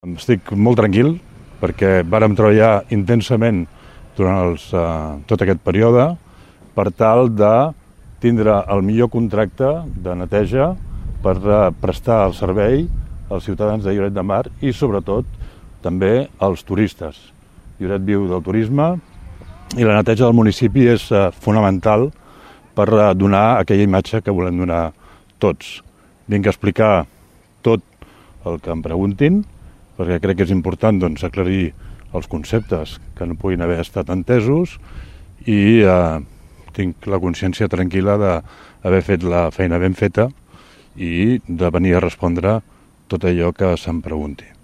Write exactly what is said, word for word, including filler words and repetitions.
Estic molt tranquil perquè vàrem treballar intensament durant els, eh, tot aquest període per tal de tindre el millor contracte de neteja per eh, prestar el servei als ciutadans de Lloret de Mar i sobretot també als turistes. Lloret viu del turisme i la neteja del municipi és eh, fonamental per eh, donar aquella imatge que volem donar tots. Vinc a explicar tot el que em preguntin, perquè crec que és important doncs, aclarir els conceptes que no puguin haver estat entesos i eh, tinc la consciència tranquil·la d'haver fet la feina ben feta i de venir a respondre tot allò que se'm pregunti.